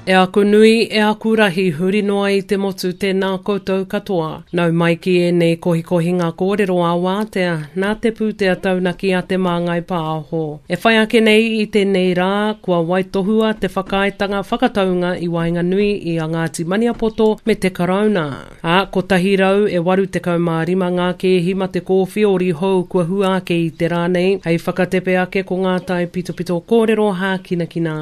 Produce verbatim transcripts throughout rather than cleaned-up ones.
E aku nui, e aku rahi, huri noa i te motu, tēnā koutou katoa. Nau mai ki ēnei kohikohinga kōrero a wātea, nā te pūtea taunaki a Te Māngai Pāho. E whai ake nei i tēnei rā, kua waitohua te whakaaetanga whakataunga i waenganui i a Ngāti Maniapoto me te Karauna. Ā, kotahi rau e waru tekau mā rima ngā kēhi mate kōwhiori hou kua hua ake i te rā nei, hei whakatepe ake ko ngā taipitopito kōrero hākinakina.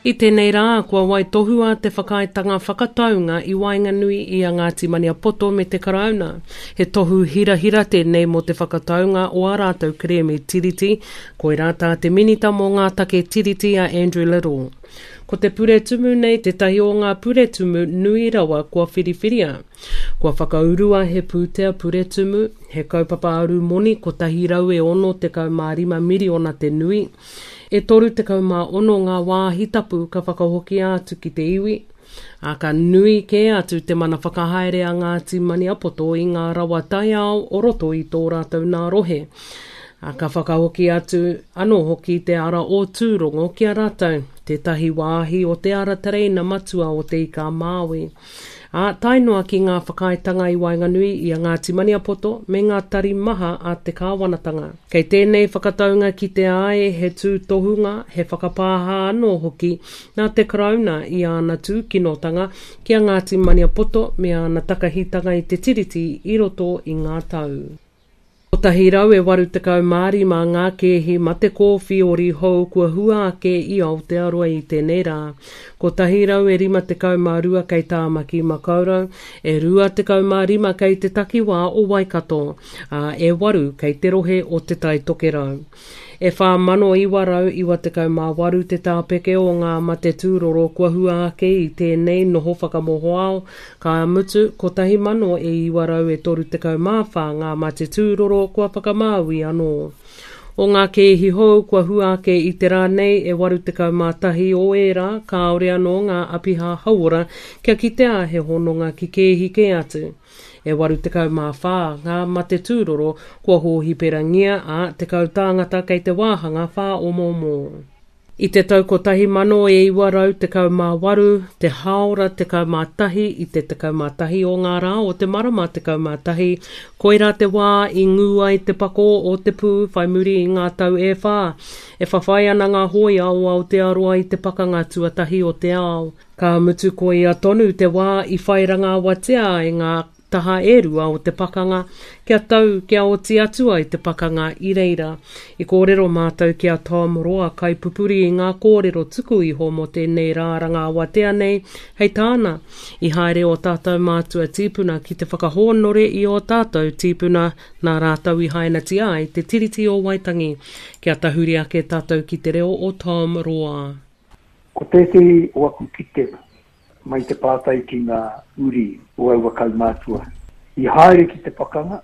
I tēnei rā, kua waitohua te whakaaetanga whakataunga i waenganui i a Ngāti Maniapoto me te Karauna. He tohu hirahira tēnei mō te whakataunga o ā rātou kerēme tiriti, koirā tā te Minita mō ngā take tiriti a Andrew Little. Ko te puretumu nei tētahi o ngā puretumu nui rawa kua whiriwhiria. Kua whakaurua he pūtea puretumu, he kaupapa arumoni kotahi rau e ono tekau mā rima miriona te nui, e toru tekau mā ono ngā wāhi tapu ka whakahokia atu ki te iwi, ā, ka nui kē atu te mana whakahaere a Ngāti Maniapoto i ngā rawa taiao o roto i tō rātou nā rohe, ā, ka whakahoki atu anō hoki te ara o Tūrongo ki a rātou, tētahi wāhi o te ara tereina matua o Te Ika-a-Māui, ā, tae noa ki ngā whakaaetanga i waenganui i a Ngāti Maniapoto me ngā tari maha a te kāwanatanga. Kei tēnei whakataunga kitea ai he tūtohunga, he whakapāha anō hoki nā te Karauna i āna tūkinotanga ki a Ngāti Maniapoto me āna takahitanga i te Tiriti i roto i ngā tau. Kotahi rau e waru tekau mā rima ngā kēhi mate kōwhiori hou kua hua ake i Aotearoa i tēnei rā. Kotahi rau e rima tekau mā rua kei Tāmaki Makaurau, e rua tekau mā rima kei te takiwā o Waikato, ā, e waru kei te rohe o Te Tai Tokerau. E whā mano iwa rau iwa tekau mā waru te tāpeke o ngā mate tūroro kua hua ake i tēnei noho whakamohoao, ka mutu, kotahi mano e iwa rau e toru tekau mā whā ngā mate tūroro kua whakamāui anō. O ngā kēhi hou kua hua ake i te rā nei, e waru tekau mā tahi o ērā kāore anō ngā apiha hauora kia kitea he hononga ki kēhi kē atu. E waru tekau mā whā ngā mate tūroro kua hōhiperangia, ā, tekau tāngata kei te wāhanga whāomoomo. I te tau kotahi mano e iwa rau tekau mā waru, te hāora tekau mā tahi i te tekau mā tahi o ngā rā o te marama tekau mā tahi, koirā te wā i ngū ai te pakō o te pū whai muri i ngā tau e whā e whawhai ana ngā hōia o Aotearoa i te Pakanga Tuatahi o te Ao. Ka mutu koia tonu te wā i whai rangaawatia ai ngā taha e rua o te pakanga, kia tau, kia oti atu ai te pakanga i reira. I kōrero mātou ki a Tom Roa kaipupuri i ngā kōrero tuku iho mō tēnei rā rangaawatea nei, hei tāna, i haere ō tātou mātua tīpuna ki te whakahōnore i ō tātou tīpuna nā rātou i hainatia ai te Tiriti o Waitangi. Kia tahuri ake tātou ki te reo o Tom Roa. Ko tētehi o aku kitenga mai te pātai ki ngā uri o aua kaumātua i haere ki te pakanga,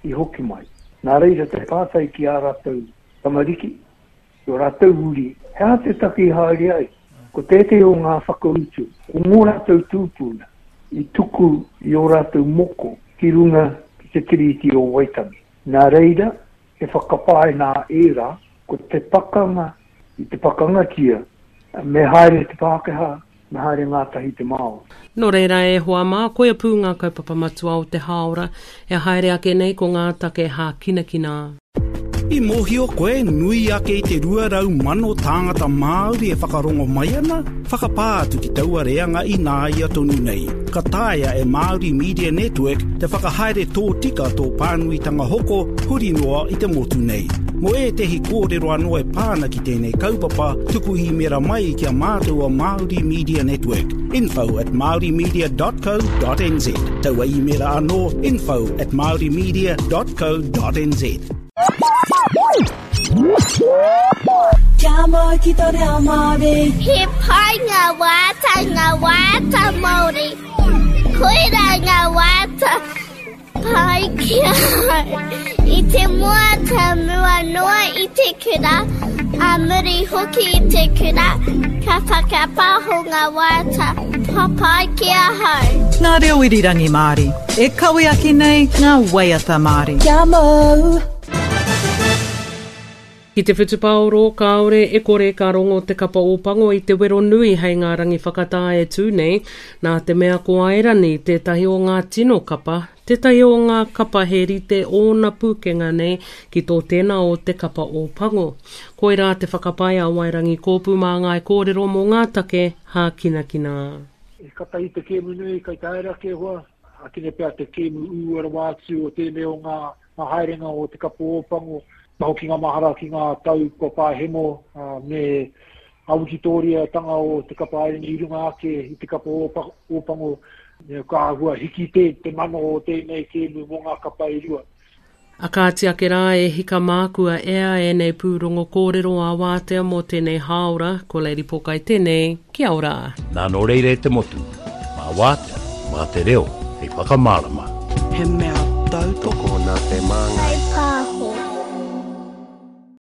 i hoki mai. Nā reira te pātai ki ā rātou tamariki, ki ō rātou uri, he aha te take i haere ai? Ko tētehi o ngā whakautu, ko ngō rātou tūpuna i tuku i ō rātou moko ki runga ki te Tiriti o Waitangi. Nā reira, he whakapae nā ērā, ko te pakanga i te pakangatia, me haere te Pākehā, me haere ngātahi te Māori. Nō reira e hoa mā, koia pū ngā kaupapa matua o te hāora e haere ake nei ko ngā take hākinakina. I mōhio koe nui ake i te rua rau mano tāngata Māori e whakarongo mai ana? Whakapā atu ki taua reanga ināia tonu nei. Ka taea e Māori Media Network te whakahaere tōtika tō pānuitanga hoko huri noa i te motu nei. Mō ētehi kōrero anō e pā ana ki tēnei kaupapa, tuku īmēra mai ki a mātou o Māori Media Network, info at māorimedia dot co dot nz. Taua īmēra anō, info at māorimedia dot co dot nz. Kia mau ki tō reo Māori. He pai ngā wāta, ngā wāta Māori. Koirā ngā wāta pai ki ahau. I te mua ta mua noa i te kura, a muri hoki i te kura, ka whakapaho ngā wāta papai ki ahau. Ngā reo irirangi Māori, e kawe ake nei ngā waiata Māori. Kia mau! Ki te whutupaoro, kāore e kore ka rongo te kapa Ōpango i te wero nui hei ngā rangi whakatā e tū nei, nā te mea ko Airani tētahi o ngā tino kapa, tētahi o ngā kapa he rite ōna pūkenga nei ki tō tēnā o te kapa Ōpango. Koirā te whakapae a Wairangi Kōpū mā ngāi kōrero mō ngā take hākinakina. E kata i te kēmu nui kai te haere ake hoa, akine pea te kēmu ū rawa atu o tēnei o ngā, ngā haerenga o te kapa Ōpango, ka hoki ngā mahara ki ngā tau kua pāhemo uh, me a Wikitōria-tanga o te kapa Airani i runga ake i te kapa Ōpango, ka āhua hiki te, te mana o tēnei kēmu mō ngā kapa e rua. A kāti ake rā e hika mākua ea e nei pūrongo kōrero a wātea mō tēnei hāora, ko Lady Pōkai tēnei, kia ora. Nā nō reira e te motu, mā wātea, mā te reo, hei whakamārama. He mea tautoko nā te māngai.